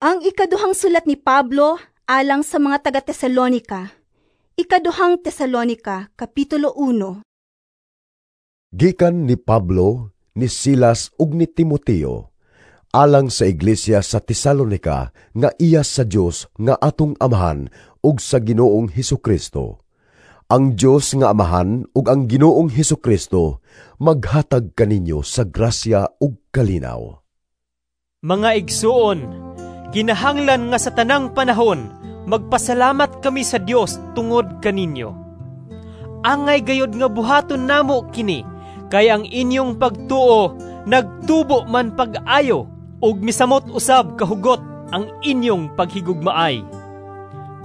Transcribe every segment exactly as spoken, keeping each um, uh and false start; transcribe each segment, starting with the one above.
Ang ikaduhang sulat ni Pablo alang sa mga taga-Tesalonika. Ikaduhang Tesalonika, Kapitulo uno. Gikan ni Pablo, ni Silas ug ni Timoteo, alang sa iglesia sa Tesalonika nga iya sa Dios nga atong Amahan ug sa Ginoong Hesukristo. Ang Dios nga Amahan ug ang Ginoong Hesukristo maghatag kaninyo sa grasya ug kalinaw. Mga igsuon, kinahanglan nga sa tanang panahon magpasalamat kami sa Dios tungod kaninyo. Angay gayod nga buhaton namo kini, kay ang inyong pagtuo nagtubo man pag-ayo ug misamot usab kahugot ang inyong paghigugmaay.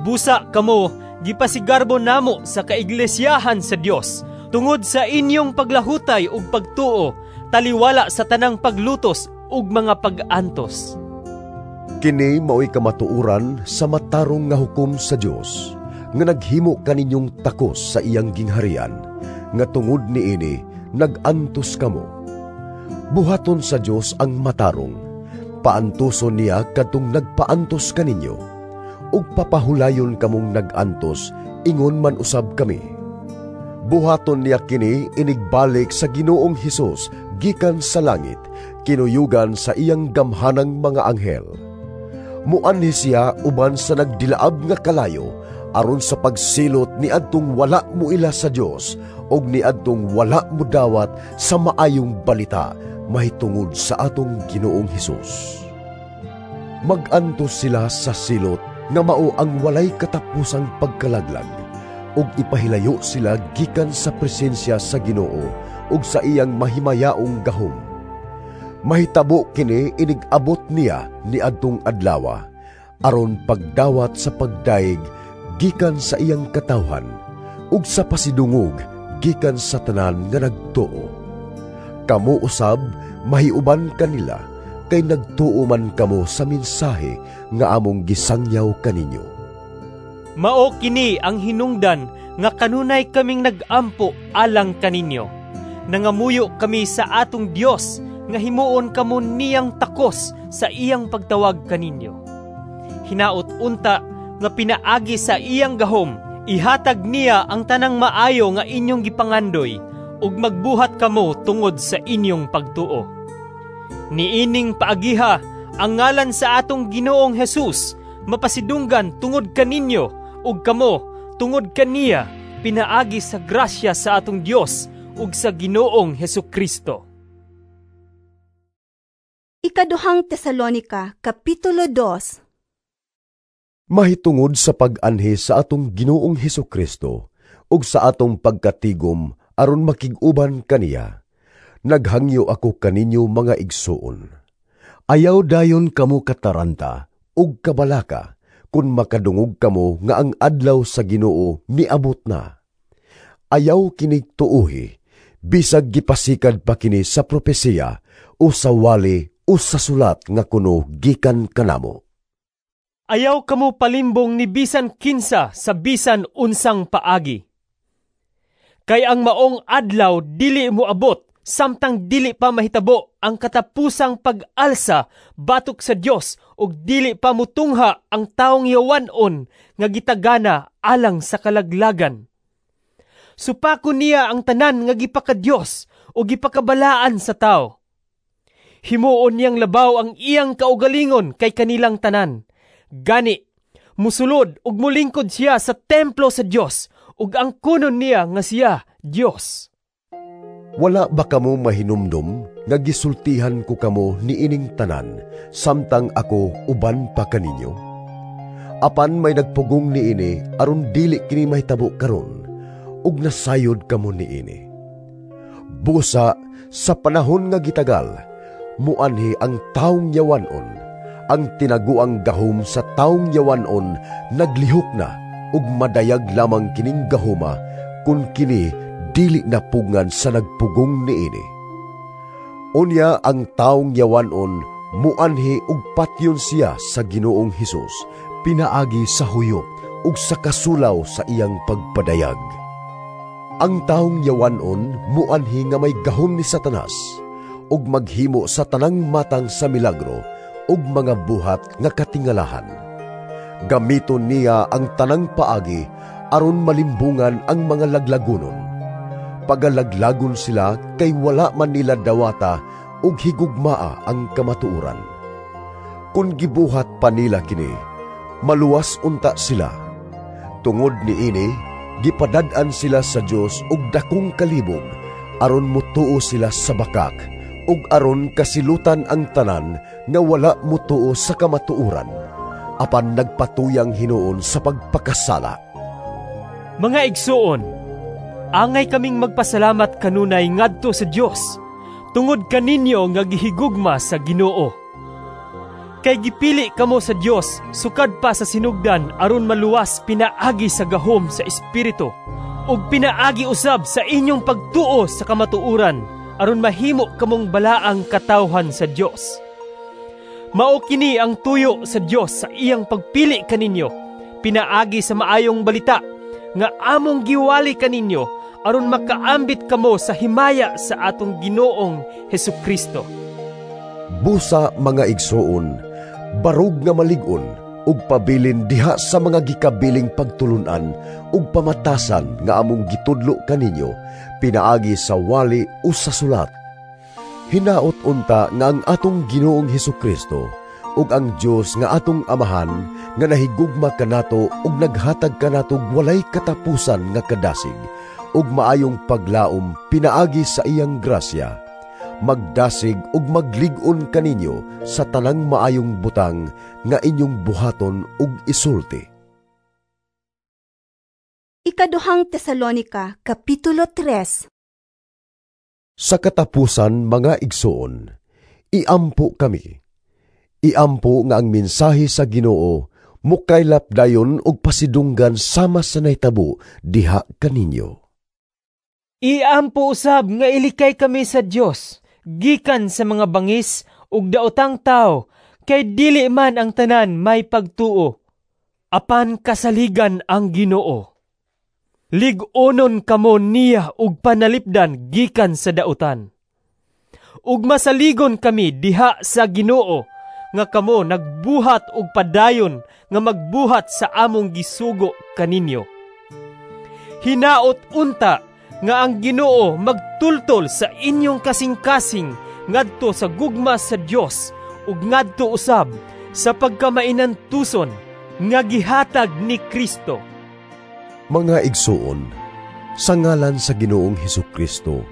Busa kamo gipasigarbo namo sa kaiglesyahan sa Dios tungod sa inyong paglahutay ug pagtuo taliwala sa tanang paglutos ug mga pag-antos. Kini mao'y kamatuoran sa matarong nga hukom sa Dios, nga naghimo kaninyong takos sa iyang gingharian, nga tungod niini nag-antos kamo. Buhaton sa Dios ang matarong, paantuson niya kadtong nagpaantos kaninyo, ug papahulayon kamong nag-antos, ingon man usab kami. Buhaton niya kini inigbalik sa Ginoong Hesus gikan sa langit, kinuyugan sa iyang gamhanang mga anghel. Muanhi siya uban sa nagdilaab nga kalayo, aron sa pagsilot niadtong wala moila sa Dios ug niadtong wala modawat sa maayong balita mahitungod sa atong Ginoong Hesus. Mag-antos sila sa silot nga mao ang walay katapusang pagkalaglag, ug ipahilayo sila gikan sa presensya sa Ginoo ug sa iyang mahimayaong gahom. Mahitabo kini inig-abot niya niadtong adlawa, aron pagdawat sa pagdayeg gikan sa iyang katawhan ug sa pasidungog gikan sa tanan nga nagtuo. Kamo usab mahiuban kanila, kay nagtuo man kamo sa mensahe nga among gisangyaw kaninyo. Mao kini ang hinungdan nga kanunay kaming nag-ampo alang kaninyo. Nangamuyo kami sa atong Dios nga himuon kamo niyang takos sa iyang pagtawag kaninyo. Hinaot unta nga pinaagi sa iyang gahom, ihatag niya ang tanang maayo nga inyong gipangandoy, ug magbuhat kamo tungod sa inyong pagtuo. Niining paagiha ang ngalan sa atong Ginoong Hesus mapasidunggan tungod kaninyo, ug kamo tungod kaniya pinaagi sa grasya sa atong Dios ug sa Ginoong Hesukristo. Ikaduhang Tesalonika, Kapitulo dos. Mahitungod sa pag-anhi sa atong Ginoong Hesukristo ug sa atong pagkatigom aron makig-uban kaniya, naghangyo ako kaninyo mga igsuon. Ayaw dayon kamo kataranta ug kabalaka kun makadungog kamo nga ang adlaw sa Ginoo miabot na. Ayaw kini tuohi, bisag gipasikad pa kini sa propesiya o sa wali o sa sulat nga kuno gikan kanamo. Ayaw kamo palimbong ni bisan kinsa sa bisan unsang paagi. Kay ang maong adlaw dili moabot samtang dili pa mahitabo ang katapusang pag-alsa batok sa Dios ug dili pa mutungha ang taong yawan-on nga gitagana alang sa kalaglagan. Supako niya ang tanan nga gipakadios o gipakabalaan sa tao. Himuon niyang labaw ang iyang kaugalingon kay kanilang tanan. Gani, musulod ug mulingkod siya sa templo sa Dios ug ang kunon niya nga siya Dios. Wala ba kamo mahinumdom nga gisultihan ko kamo niining tanan samtang ako uban pa kaninyo? Apan may nagpugong niini aron dili kini mahitabo karon, ug nasayod kamo niini. Busa sa panahon nga gitagal, muanhi ang taong yawanon, ang tinaguang gahom sa taong yawanon naglihok na ug madayag lamang kining gahoma kun kini dili napugngan sa nagpugong niini. Unya ang taong yawanon muanhi ug patyon siya sa Ginoong Hesus pinaagi sa huyop ug sa kasulaw sa iyang pagpadayag. Ang taong yawanon muanhi nga may gahom ni Satanas ug maghimo sa tanang matang sa milagro ug mga buhat nga katingalahan. Gamiton niya ang tanang paagi aron malimbungan ang mga laglagonon. Pagalaglagon sila kay wala man nila dawata ug higugmaa ang kamatuoran. Kun gibuhat pa nila kini, maluwas unta sila. Tungod niini, gipadad-an sila sa Dios og dakong kalibog aron mutuo sila sa bakak ug aron kasilutan ang tanan nga wala mutuo sa kamatuoran, apan nagpatuyang hinuon sa pagpakasala. Mga igsuon, angay kaming magpasalamat kanunay ngadto sa Dios tungod kaninyo nga gihigugma sa Ginoo. Kay gipili kamo sa Dios sukad pa sa sinugdan aron maluwas pinaagi sa gahom sa Espiritu ug pinaagi usab sa inyong pagtuo sa kamatuoran aron mahimo kamong balaang katawhan sa Dios. Mao kini ang tuyo sa Dios sa iyang pagpili kaninyo pinaagi sa maayong balita nga among giwali kaninyo aron makaambit kamo sa himaya sa atong Ginoong Hesukristo. Busa, mga igsoon, barog nga malig-on ug pabilin diha sa mga gikabiling pagtulun-an ug pamatasan nga among gitudlo kaninyo pinaagi sa wali o sa sulat. Hinaot unta nga ang atong Ginoong Hesukristo ug ang Dios nga atong Amahan nga nahigugma kanato ug naghatag kanato walay katapusan nga kadasig ug maayong paglaom pinaagi sa iyang grasya, magdasig ug maglig-on kaninyo sa tanang maayong butang nga inyong buhaton ug isulti. Ikaduhang Tesalonika, Kapitulo tres. Sa katapusan, mga igsoon, iampo kami. Iampo nga ang mensahe sa Ginoo mukaylap dayon og pasidunggan sama sa nahitabo diha kaninyo. Iampo usab nga ilikay kami sa Dios gikan sa mga bangis ug daotang tawo, kay dili man ang tanan may pagtuo. Apan kasaligan ang Ginoo. Lig-onon kamo niya ug panalipdan gikan sa dautan. Ug masaligon kami diha sa Ginoo nga kamo nagbuhat og padayon nga magbuhat sa among gisugo kaninyo. Hinaot unta nga ang Ginoo magtultol sa inyong kasing-kasing ngadto sa gugma sa Dios ug ngadto usab sa pagkamainantuson nga gihatag ni Kristo. Mga igsuon, sa ngalan sa Ginoong Hesukristo,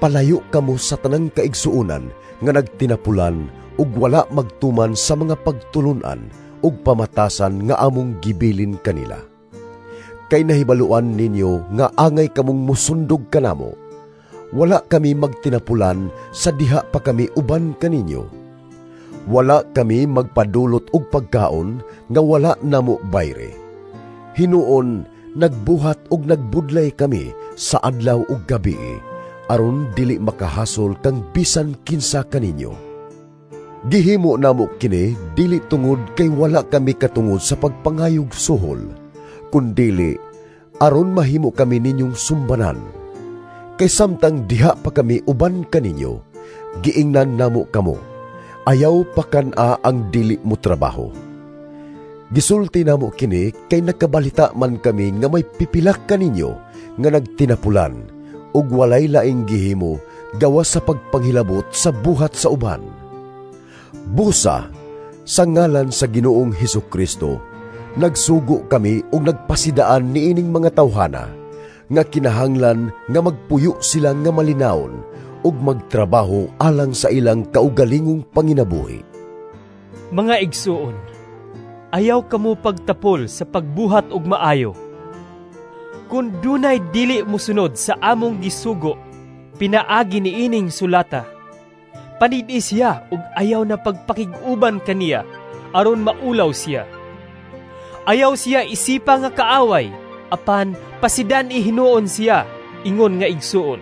palayo kamo sa tanang kaigsuonan nga nagtinapulan ug wala magtuman sa mga pagtulun-an ug pamatasan nga among gibilin kanila. Kay nahibaluan ninyo nga angay kamong musundog kanamo. Wala kami magtinapulan sa diha pa kami uban kaninyo. Wala kami magpadulot og pagkaon nga wala namo bayre. Hinuon, nagbuhat og nagbudlay kami sa adlaw ug gabi aron dili makahasol kang bisan kinsa kaninyo. Gihimo namo kini dili tungod kay wala kami katungod sa pagpangayog suhol, kundili aron mahimo kami ninyong sumbanan. Kay samtang diha pa kami uban kaninyo, giingnan namo kamo, ayaw pakan-a ang dili mo trabaho. Gisulti namo kini kay nakabalita man kami nga may pipilak kaninyo nga nagtinapulan ug walay laing gihimo gawas sa pagpanghilabot sa buhat sa uban. Busa, sa ngalan sa Ginoong Hesukristo, nagsugo kami ug nagpasidaan niining mga tawhana nga kinahanglan nga magpuyo sila nga malinawon ug magtrabaho alang sa ilang kaugalingong panginabuhi. Mga igsuon, ayaw kamo pagtapol sa pagbuhat og maayo. Kun dunay dili mosunod sa among gisugo, pinaagi niining sulata, panid-i siya ug ayaw na pagpakig-uban kaniya aron maulaw siya. Ayaw siya isipa nga kaaway, apan pasidan ihinuon siya ingon nga igsuon.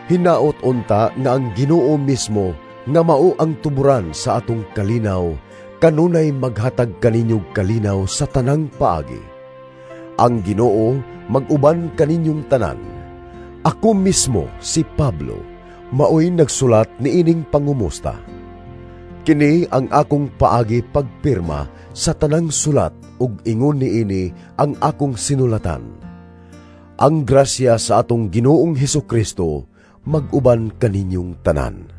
Hinaot unta nga ang Ginoo mismo nga mao ang tuburan sa atong kalinaw, kanunay maghatag kaninyong kalinaw sa tanang paagi. Ang Ginoo mag-uban kaninyong tanan. Ako mismo, si Pablo, maoy nagsulat niining pangumusta. Kini ang akong paagi pagpirma sa tanang sulat ug ingon niini ang akong sinulatan. Ang grasya sa atong Ginoong Hesus Kristo mag-uban kaninyong tanan.